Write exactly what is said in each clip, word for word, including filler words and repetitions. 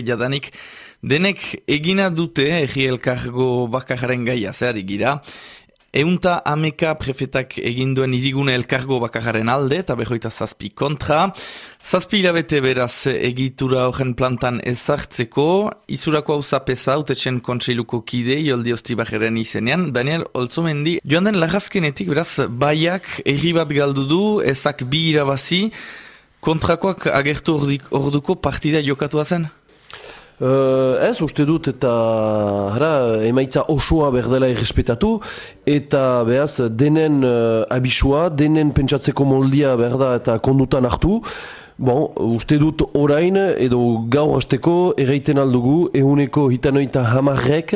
jadanik denek egina dute Herri Elkargo bakarraren gaia zehari gira. Eunta ameka prefetak eginduen irigune elkargo bakarraren alde eta behoita zazpi kontra. Zazpi hilabete beraz egitura horren plantan ezartzeko, izurako hau zapesa autetxen kontseiluko kide Joldi Ostibajeren izenean. Daniel Olzomendi, joan den lagazkenetik beraz baiak erri bat galdu du, ezak bi irabazi, kontrakoak agertu ordik, orduko partida jokatua zen? Uh, ez, uste dut eta hara, emaitza osoa berdela errespetatu eta behaz denen uh, abisua, denen pentsatzeko moldia berda eta kondutan hartu. Bon, uste dut orain edo gaur hasteko erraiten aldugu ehuneko hitanoita hamarrek,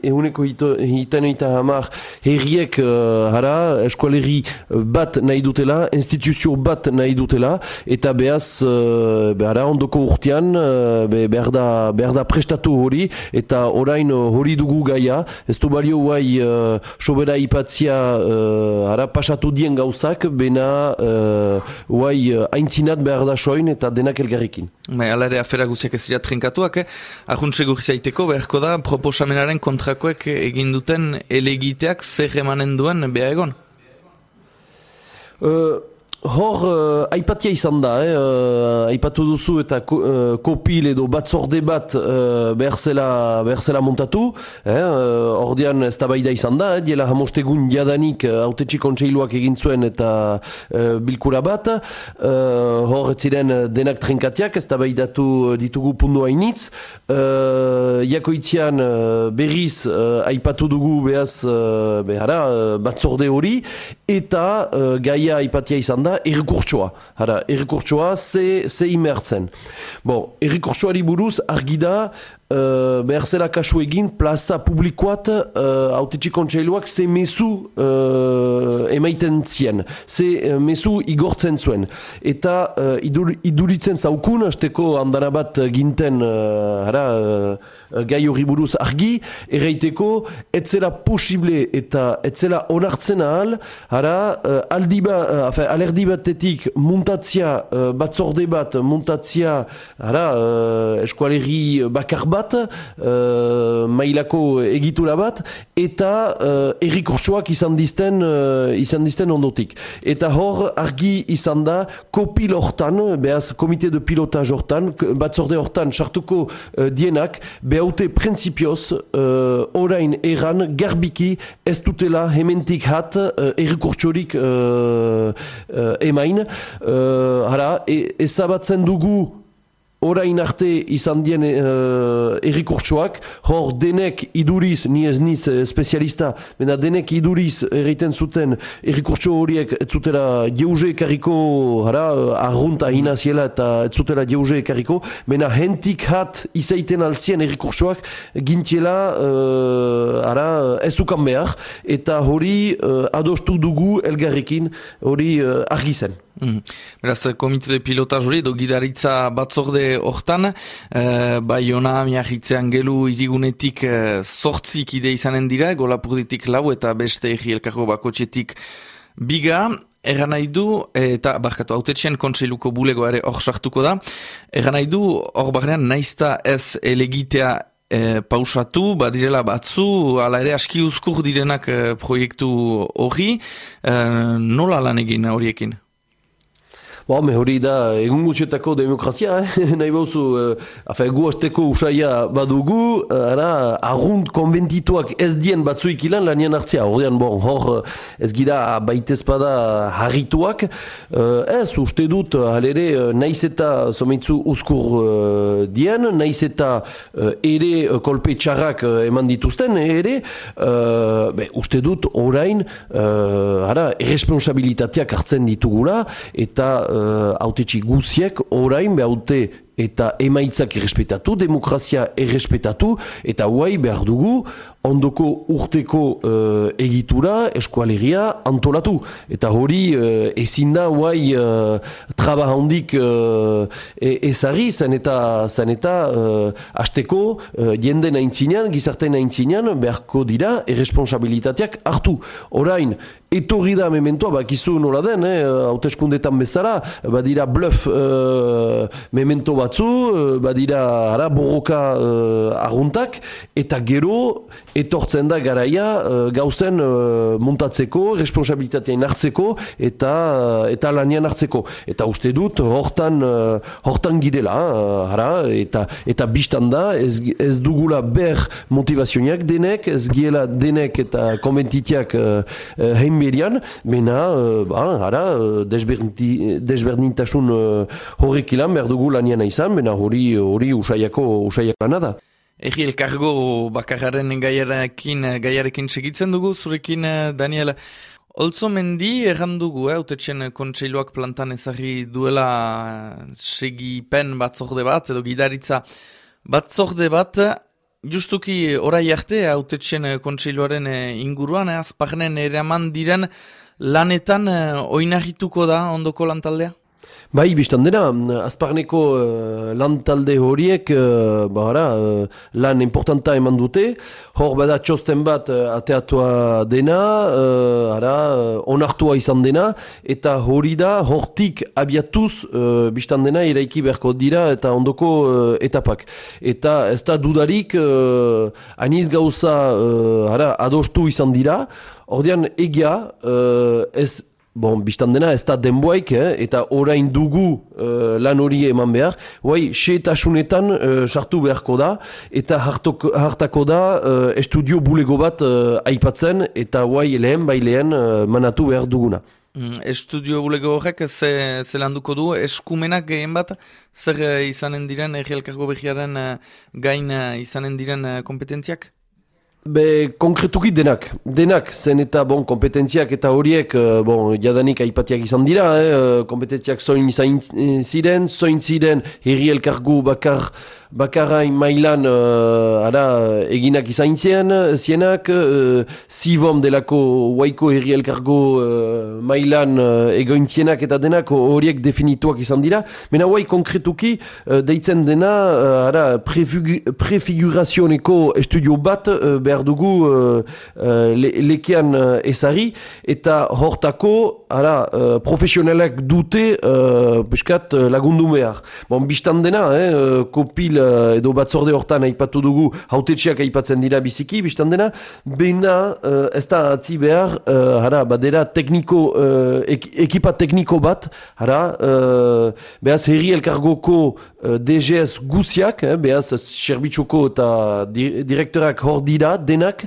ehuneko hitanoita hamar herriek uh, hara, eskualerri bat nahi dutela, instituzio bat nahi dutela, eta behaz uh, behara ondoko urtean uh, be, behar, da, behar da prestatu hori, eta orain hori dugu gaia, ez du balio guai uh, sobera ipatzia uh, hara, pasatu dien gauzak, bena uh, guai uh, aintzina behar da soin eta denak elgarrikin. Bai, ala ere afera guziak ez dira trenkatuak, eh? Ahuntze gurzaiteko beharko da proposamenaren kontrakoek egin duten elegiteak zer emanen duen beha egon? Uh, Hor, uh, aipatia izan da, eh? uh, aipatu duzu eta ko, uh, kopil edo batzorde bat uh, behar zela montatu, eh? uh, ordean ez da baida izan da, eh? diela hamostegun jadanik uh, autetxi kontseiluak egin zuen eta uh, bilkura bat, uh, hor ez ziren denak trenkatiak, ez da baidatu ditugu pundu hainitz, uh, jakoitzian uh, berriz uh, aipatu dugu behaz uh, behara, uh, batzorde hori, eta uh, gaia aipatia izan da, errekurtsoa. Hara, errekurtsoa ze, ze imertzen. Bon, errekurtsoari buruz argi da uh, behar zela kasu egin plaza publikoat uh, autetxi kontseiluak ze mezu uh, emaiten zien. Ze uh, mezu igortzen zuen. Eta uh, idur, iduritzen zaukun, hasteko andana bat ginten uh, hara, uh, gai hori buruz argi, erraiteko etzela posible eta etzela onartzen ahal, hara, uh, aldi ba, uh, afe, alerdi batetik muntatzia uh, batzorde bat, muntatzia hara, uh, eskualerri bakar bat, uh, mailako egitura bat, eta uh, errikortsoak izan dizten, uh, izan dizten ondotik. Eta hor argi izan da kopil hortan, behaz komite de pilotaj hortan, batzorde hortan sartuko uh, dienak, behaute prinsipioz uh, orain erran garbiki ez dutela hementik hat uh, errikortsorik uh, uh, emain, uh, hara, e, ezabatzen dugu orain arte izan dien uh, errikurtsoak, hor denek iduriz, ni ez niz spezialista, bena denek iduriz erreiten zuten errikurtso horiek ez zutela jeuze ekarriko, hara, arrunta hinaziela eta ez zutela jeuze ekarriko, bena hentik hat izaiten alzien errikurtsoak gintiela, uh, hara, ez ukan behar, eta hori uh, adostu dugu elgarrekin, hori uh, argi zen. Mm. Beraz, komite de pilotaz hori, edo gidaritza batzorde hortan, eh, Baiona, Miarritzean gelu irigunetik eh, zortzik ide izanen dira, Golapurditik lau eta beste Herri Elkargo bakotxetik biga, erran nahi du, eta barkatu, autetxean kontseiluko bulegoa ere hor sartuko da, erran nahi du, hor barrean naizta ez elegitea E, pausatu, badirela batzu, ala ere aski uzkur direnak e, proiektu hori, e, nola lan egin horiekin? Bo, me hori da egun guztietako demokrazia, eh? Nahi bauzu, eh, gu hasteko usaia badugu, ara, arrunt konventituak ez dien batzuik ilan lanien hartzia. Horrean, bon, hor ez gira baitezpada harrituak, eh, ez uste dut, halere, naiz eta someitzu uzkur uh, dien, naiz eta uh, ere kolpe txarrak uh, eman dituzten, ere, uh, be, uste dut orain, uh, ara, irresponsabilitateak hartzen ditugula, eta hautetxi uh, guziek orain behaute eta emaitzak errespetatu, demokrazia errespetatu, eta guai behar dugu ondoko urteko uh, egitura eskualeria antolatu. Eta hori uh, ezin da guai uh, traba handik uh, ezari, zen eta, zen eta uh, hasteko uh, jenden aintzinean, gizarten aintzinean beharko dira erresponsabilitateak hartu. Orain, etorri da mementoa, bakizu nola den, hauteskundetan eh, bezala, badira bluff uh, memento bat batzu, badira ara, borroka uh, arruntak, eta gero etortzen da garaia uh, gauzen uh, montatzeko, responsabilitatean hartzeko, eta, uh, eta lanian hartzeko. Eta uste dut, hortan, uh, hortan girela, uh, ara, eta, eta biztan da, ez, ez dugula ber motivazioak denek, ez giela denek eta konventitiak uh, uh, heinberian, mena, uh, ba, ara, desberdinti, desberdintasun uh, horrek ilan behar dugu lanian izan, bena hori hori usaiako usaiak lana da. Egi elkargo bakarraren gaiarekin, gaiarekin segitzen dugu, zurekin Daniel. Olzo mendi errandugu, eh, autetxen kontseiluak plantan ezagri duela segipen batzorde bat, edo gidaritza batzorde bat, justuki orai arte autetxen kontseiluaren inguruan, eh, azparnen eraman diren lanetan oinarrituko da ondoko lantaldea? Bai, biztan dena, azparneko uh, lantalde horiek uh, bahara, uh, lan importanta eman dute, hor bada txosten bat uh, ateatua dena, uh, ara, uh, onartua izan dena, eta hori da hortik abiatuz uh, biztan dena eraiki beharko dira eta ondoko uh, etapak. Eta ez da dudarik, uh, aniz gauza uh, ara, adostu izan dira, ordean egia uh, ez Bon, biztan dena ez da denboaik, eh, eta orain dugu uh, lan hori eman behar, guai, seetasunetan uh, sartu beharko da, eta hartoko, hartako da uh, estudio bulego bat uh, aipatzen, eta guai lehen bai lehen uh, manatu behar duguna. Mm, estudio bulego horrek ze, ze landuko du, eskumenak gehien bat, zer uh, izanen diren, Herri Elkargo Behiaren uh, gain uh, izanen diren uh, kompetentziak? Be, konkretuki denak, denak, zen eta bon, kompetentziak eta horiek, bon, jadanik aipatiak izan dira, eh, kompetentziak zoin izan ziren, zoin ziren Herri Elkargo bakar, bakarrain mailan uh, ara, eginak izan ziren, zienak, uh, Sivom delako Waiko Herri Elkargo uh, mailan uh, egointzienak eta denak horiek definituak izan dira, mena guai konkretuki uh, deitzen dena uh, ara, prefigurazioneko estudio bat uh, behar dugu uh, uh, le, lekean uh, ezari, eta hortako ara, uh, profesionalak dute uh, peskat uh, lagundu behar. Bon, biztan dena, eh, uh, kopil uh, edo batzorde hortan aipatu dugu, hautetxeak aipatzen dira biziki, biztan dena, bena uh, ez da atzi behar, uh, hara, badera tekniko, uh, ek, ekipa tekniko bat, hara, uh, behaz Herri Elkargoko uh, D G S guziak, eh, behaz serbitxuko eta di, direktorak hor dira, denak,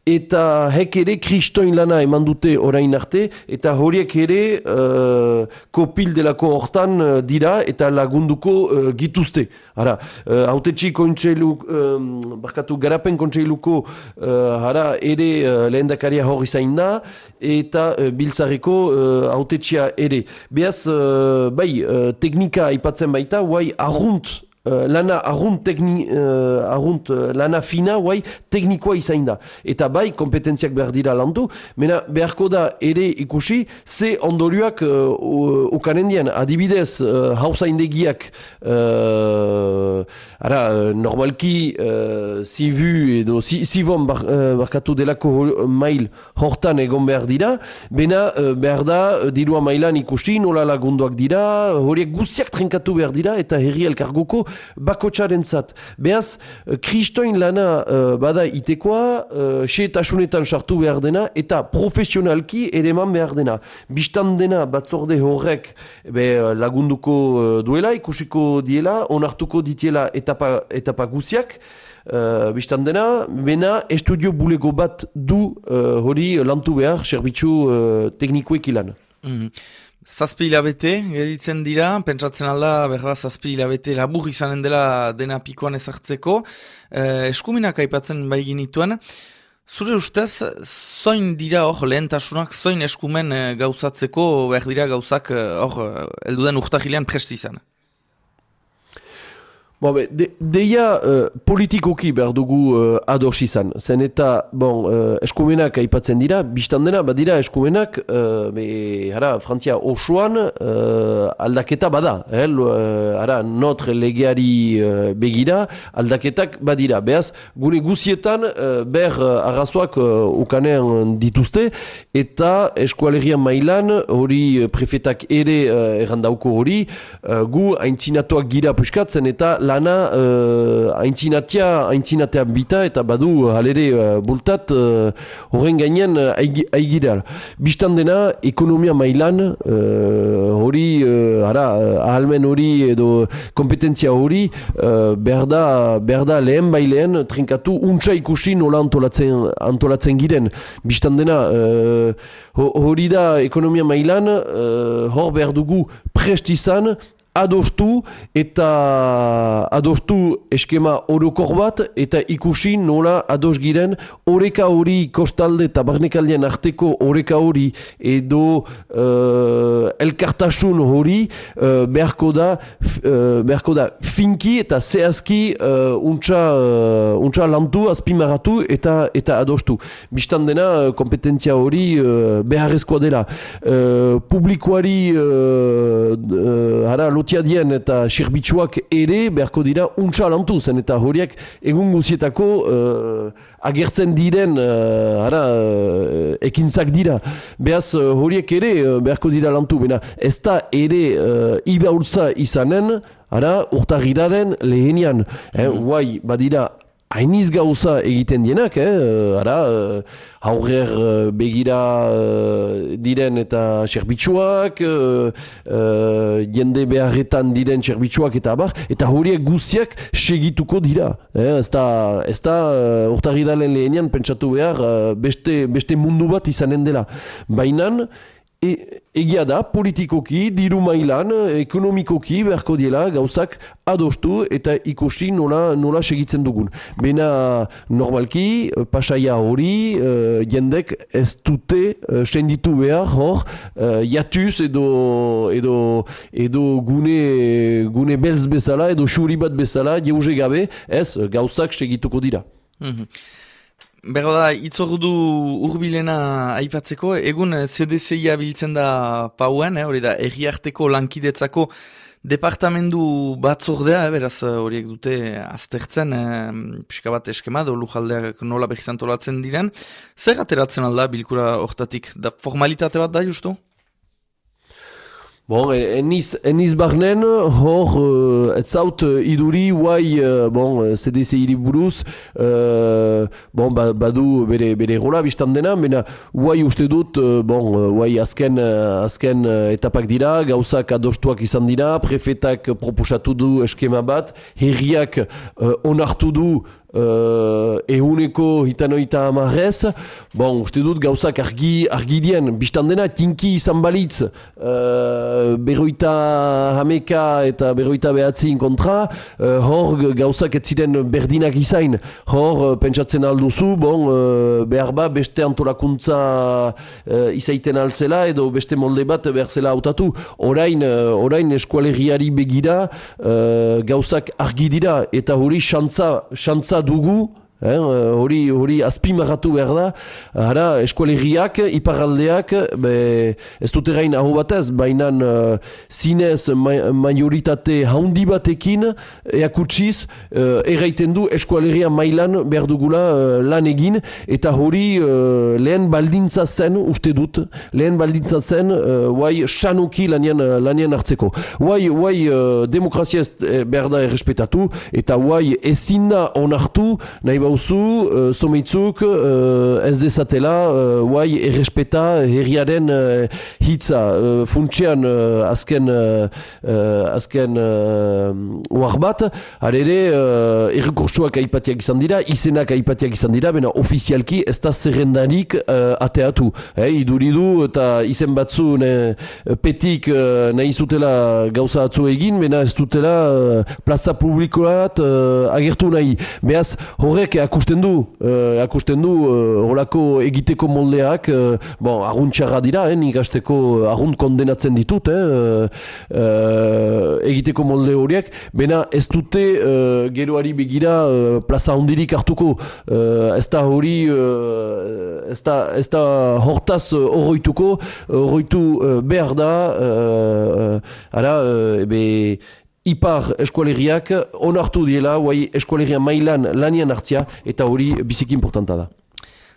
eta hek ere kristoin lana eman dute orain arte, eta horiek ere uh, kopil delako hortan uh, dira eta lagunduko uh, gituzte. Hara, uh, hautetxi kontseilu, um, barkatu garapen kontseiluko uh, hara, ere uh, lehendakaria hor izain da, eta uh, biltzareko uh, hautetxia ere. Beaz, uh, bai, uh, teknika aipatzen baita, guai, arrunt, Uh, lana arrunt, tekni, uh, arrunt uh, lana fina, guai, teknikoa izain da. Eta bai, kompetentziak behar dira landu, mena beharko da ere ikusi, ze ondorioak uh, ukanen dian. Adibidez, uh, hauzaindegiak, uh, ara, normalki, uh, zivu edo, zivon bar, uh, barkatu delako mail hortan egon behar dira, bena uh, behar da, dirua mailan ikusi, nola lagunduak dira, horiek guziak trenkatu behar dira, eta Herri Elkargoko bakotxaren zat. Beaz, kristoin lana uh, bada itekoa, uh, seetasunetan sartu behar dena, eta profesionalki ereman behar dena. Bistan dena batzorde horrek be, lagunduko uh, duela, ikusiko diela, onartuko ditiela etapa, etapa guziak, uh, bistan dena, bena estudio bulego bat du uh, hori lantu behar, serbitzu uh, teknikoek ilan. Mm. Zazpi hilabete, geditzen dira, pentsatzen alda, berra zazpi hilabete labur izanen dela dena pikoan ezartzeko, eh, eskuminak aipatzen bai ginituen. Zure ustez, zoin dira hor lehentasunak, zoin eskumen eh, gauzatzeko, behar dira gauzak hor, eh, elduden urtahilean presti izan? Bon, be, de, deia uh, politikoki behar dugu uh, ados izan. Zen eta, bon, uh, eskumenak aipatzen dira, biztan dena, badira eskumenak, uh, be, hara, Frantzia osoan uh, aldaketa bada. Eh? Uh, hara, notre legeari uh, begira, aldaketak badira. Beaz, gune guzietan, uh, ber uh, arrazoak uh, ukanean dituzte, eta eskualerian mailan, hori prefetak ere uh, errandauko hori, uh, gu haintzinatuak gira puskatzen, eta lana uh, aintzinatia, aintzinatea bita eta badu halere uh, bultat horren uh, gainean uh, aigira. Bistan dena, ekonomia mailan uh, hori, uh, ara, uh, ahalmen hori edo kompetentzia hori uh, berda, berda lehen bailean trinkatu untsa ikusi nola antolatzen, antolatzen giren. Bistan dena, uh, hori da ekonomia mailan, uh, hor behar dugu prest izan, adostu eta adostu eskema orokor bat eta ikusi nola ados giren oreka hori kostalde eta barnekaldean arteko oreka hori edo uh, elkartasun hori uh, beharko da uh, beharko da finki eta zehazki uh, untsa, uh, untsa lantu azpimarratu eta eta adostu. Bistan dena kompetentzia hori uh, beharrezkoa dela. Uh, publikoari uh, uh, hara lotiadien eta serbitzuak ere beharko dira untsa lantu zen eta horiek egun guzietako uh, agertzen diren uh, hara, uh, ekintzak dira. Beaz uh, horiek ere uh, beharko dira lantu. Bena, ez da ere uh, ibaultza izanen hara, urtagiraren lehenian. Eh, guai, badira hainiz gauza egiten dienak, eh? Ara, uh, aurrer uh, begira uh, diren eta serbitzuak, uh, uh, jende beharretan diren serbitzuak eta abar, eta horiek guztiak segituko dira. Eh? Ez da, ez da uh, urtarrilaren lehenian pentsatu behar uh, beste, beste mundu bat izanen dela. Bainan, E, egia da, politikoki, diru mailan, ekonomikoki beharko diela gauzak adostu eta ikusi nola, nola segitzen dugun. Bena normalki, pasaia hori, uh, jendek ez dute uh, senditu behar hor, uh, jatuz edo, edo, edo gune, gune belz bezala, edo xuri bat bezala, jeuze gabe, ez gauzak segituko dira. Mm-hmm. Berda da, itzordu urbilena aipatzeko, egun C D C I-a biltzen da pauen, hori eh, da, erriarteko lankidetzako departamendu batzordea, eh, beraz horiek dute aztertzen, eh, pixka bat eskema, do lujaldeak nola behizantolatzen diren. Zer ateratzen alda bilkura hortatik? Da formalitate bat da, justu? Bon, eniz, eniz barnen, hor, uh, ez zaut uh, iduri, guai, uh, bon, C D C I-ri buruz, uh, bon, ba, badu bere, bere rola biztan dena, bena, guai uste dut, uh, bon, guai azken, uh, azken uh, etapak dira, gauzak adostuak izan dira, prefetak proposatu du eskema bat, herriak uh, onartu du, Uh, ehuneko hitanoita amarrez, bon, uste dut gauzak argi, argi dien, biztan dena tinki izan balitz, uh, berroita hameka eta berroita behatzein kontra, uh, hor gauzak ez ziren berdinak izain, hor uh, pentsatzen alduzu, bon, uh, behar ba beste antolakuntza uh, izaiten altzela edo beste molde bat behar zela hautatu. Orain, uh, orain eskualeriari begira uh, gauzak argi dira eta hori xantza, xantza dugu, eh, hori, hori azpimarratu behar da, hara, eskualeriak, iparraldeak, be, ez dut erain aho batez, baina uh, zinez ma majoritate haundi batekin, eakutsiz, uh, erraiten du eskualeria mailan behar dugula uh, lan egin, eta hori uh, lehen baldintza zen, uste dut, lehen baldintza zen, uh, guai, sanoki lanien, lanien hartzeko. Guai, guai, uh, demokrazia ez behar da errespetatu, eta guai, ezin da onartu, nahi bauzu, uh, someitzuk uh, ez dezatela, uh, guai, errespeta herriaren uh, hitza. Uh, funtsean uh, azken, uh, uh, azken uh, oar bat, harere, uh, errekursuak aipatiak izan dira, izenak aipatiak izan dira, bena ofizialki ez da zerrendarik uh, ateatu. Eh, iduridu eta izen batzu ne, petik uh, nahi zutela gauza atzu egin, bena ez dutela uh, plaza publikoat uh, agertu nahi. Beaz, horrek akusten du, uh, akusten du uh, horako egiteko moldeak, uh, bon, arguntxarra dira, eh, nik hasteko argunt kondenatzen ditut, eh, uh, uh, egiteko molde horiek, bena ez dute uh, geroari begira uh, plaza hondirik hartuko, uh, ez da hori, uh, ez da, ez da hortaz horroituko, horroitu uh, behar da, uh, ara, uh, ebe, Ipar eskualeriak onartu diela, guai eskualeria mailan lanian hartzia, eta hori biziki importanta da.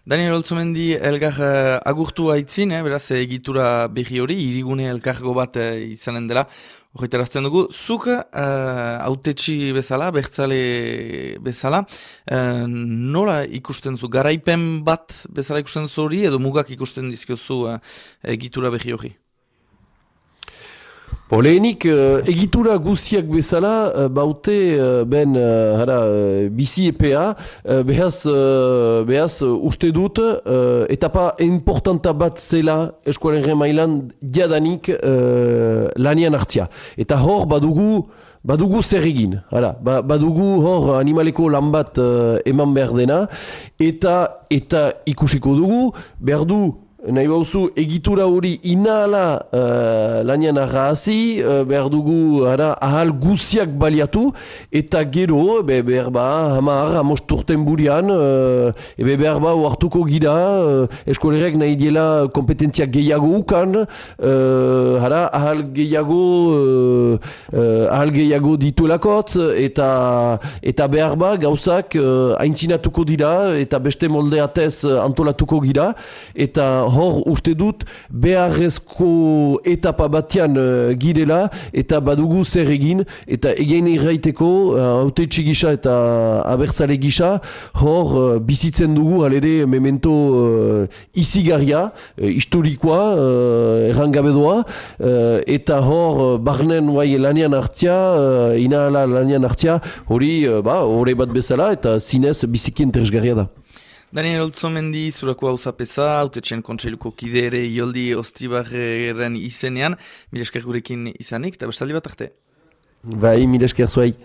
Daniel Oltzumendi elgar uh, agurtu haitzin, eh, beraz egitura berri hori, irigune elkargo bat uh, izanen dela, horretarazten dugu. Zuk hautetsi uh, bezala, bertzale bezala, uh, nola ikusten zu, garaipen bat bezala ikusten zu hori, edo mugak ikusten dizkiozu uh, egitura berri hori? Lehenik, uh, egitura guziak bezala, uh, baute uh, ben uh, hara, uh, bizi epea, uh, behaz, uh, behaz uh, uste dut, uh, etapa importanta bat zela eskualerren mailan jadanik uh, lanian hartzia. Eta hor badugu, badugu zer egin, hala, ba, badugu hor animaleko lan bat uh, eman behar dena, eta, eta ikusiko dugu, behar du, nahi bauzu, egitura hori inahala uh, lanian arrazi, uh, behar dugu ara, ahal guziak baliatu, eta gero, be, behar ba, hamar, hamosturten burian, uh, ebe behar ba, hartuko gira, uh, eskolerek nahi diela kompetentzia gehiago ukan, uh, ara, ahal gehiago, uh, uh, ahal gehiago dituelakotz, eta, eta behar ba, gauzak uh, aintzinatuko dira, eta beste moldeatez uh, antolatuko gira, eta hor uste dut beharrezko etapa batean uh, girela eta badugu zer egin eta egin irraiteko hautetsi uh, gisa eta abertzale gisa hor uh, bizitzen dugu halere memento uh, izigarria, uh, historikoa, uh, errangabedoa uh, eta hor uh, barnen guai lanian hartzia, uh, inahala lanian hartzia hori uh, ba, hori bat bezala eta zinez biziki interesgarria da. Daniel Oltzumendi, zurako hau zapeza, hautetxen kontseiluko kide ere Ioldi Ostribarren izenean, mila esker gurekin izanik, eta bestaldi bat arte. Bai, mila esker zuai.